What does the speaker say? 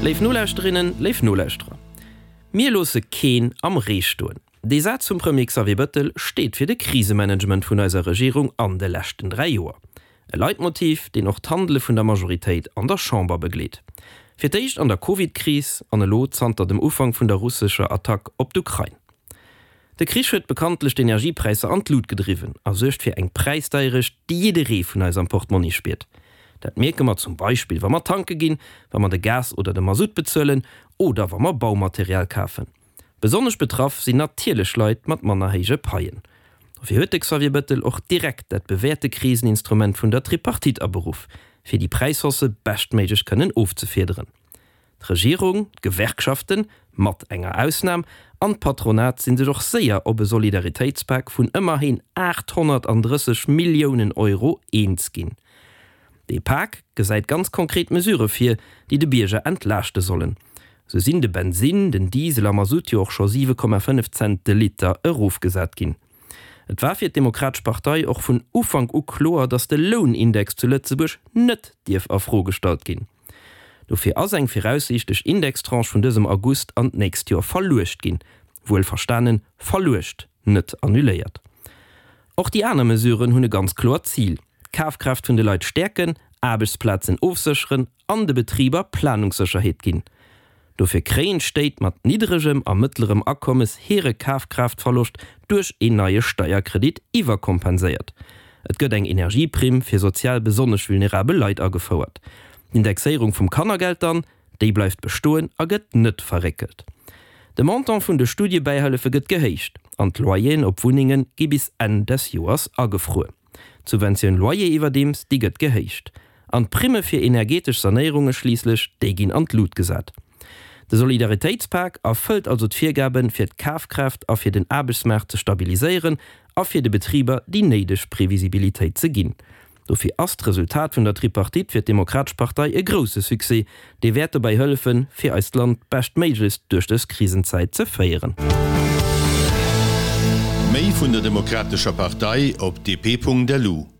Léif Nolauschterinnen, léif Nolauschterer, Mir loosse keen am Ree stoen. Dee Saz vum Premier Xavier Bëttel steet fir de Krisemanagement vun eiser Regierung an de leschten 3 Joer. E Leitmotiv, deen och d'Handele vun der Majoritéit an der Chamber begleet. Fir d'éischt an der Covid-Kris an elo zanter dem Ufank vun der russescher Attack op d'Ukrain. De Krich huet bekanntlech d'Energiepräisser an d'Lut gedriwwen a suergt fir eng Präisdeierecht, déi jidderee vun eis am Portmonni spiert. Dat mierke mer zum Beispill, wa mer tanke ginn, wa mer de Gas oder de Masutt bezuelen oder wa mer Baumaterial kafen. Besonnesch betraff sinn natierlech Leit mat manner héije Paien. Dofir huet de Xavier Bëttel och direkt dat bewäerte Kriseninstrument vun der Tripartite aberuff, fir déi Präishausse beschtméiglech kënnen ofzefiederen. D'Regierung, d'Gewerkschaften, mat enger Ausnam, an d'Patronat sinn sech och séier op e Solidaritéitspak vun ëmmerhin 830 Milliounen Euro eens ginn. Dee Pak gesäit ganz konkret Mesurë vir, déi de Bierger entlaaschte sollen. Sou sinn de Bensinn, den Diesel a Masutt jo och scho 7,5 Cent de Liter erofgesat ginn. Et war fir d'Demokratesch Partei och vun Ufank u kloer, datt de Lounindex zu Lëtzebuerg net dierf a Fro gestallt ginn. Dofir ass eng viraussiichtlech Indextranche vun dësem August an d'nächst Joer verluecht ginn, wuel verstanen, verluecht, net annuléiert. Och déi aner Mesuren hunn e ganz kloert Zil, d'Kafkraaft vun de Leit stäerken, Aarbechtsplazen ofsécheren an de Betriber Planungssécherheet ginn. Dofir kréien d'Stéit mat niddregem a mëttlerem Akommes hire Kafkraaftverloscht duerch een neie Steierkredit iwwerkompenséiert. Et gëtt eng Energieprimm fir sozial besonnesch vulnerabel Leit agefouert. D'Indexéierung vum Kannergeld dann, Déi bleift bestoen a gëtt net verréckelt. De Montant vun de Studiebäihëllefe gëtt gehéicht an d'Loyeren op Wunnenge gi bis Enn des Joers agefruer. D'Subventioun Loyer iwwerdeems, déi gëtt gehéicht. An d'Primme fir energetesch Sanéierunge schliisslech, déi ginn an d'Lut gesat. De Solidaritéitspak erfëllt also d'Virgaben, fir d'Kafkraaft a fir den Aarbechtsmaart ze stabiliséieren a fir de Betriber déi néideg Previsibilitéit ze ginn. Dofir ass d'Resultat vun der Tripartite fir d'Demokratesch Partei e grousse Succès, dee wäert dobäi hëllefen, fir eist Land beschtméiglechst duerch dës Krisenzäit ze féieren. Méi vun der Demokratescher Partei op dp.lu.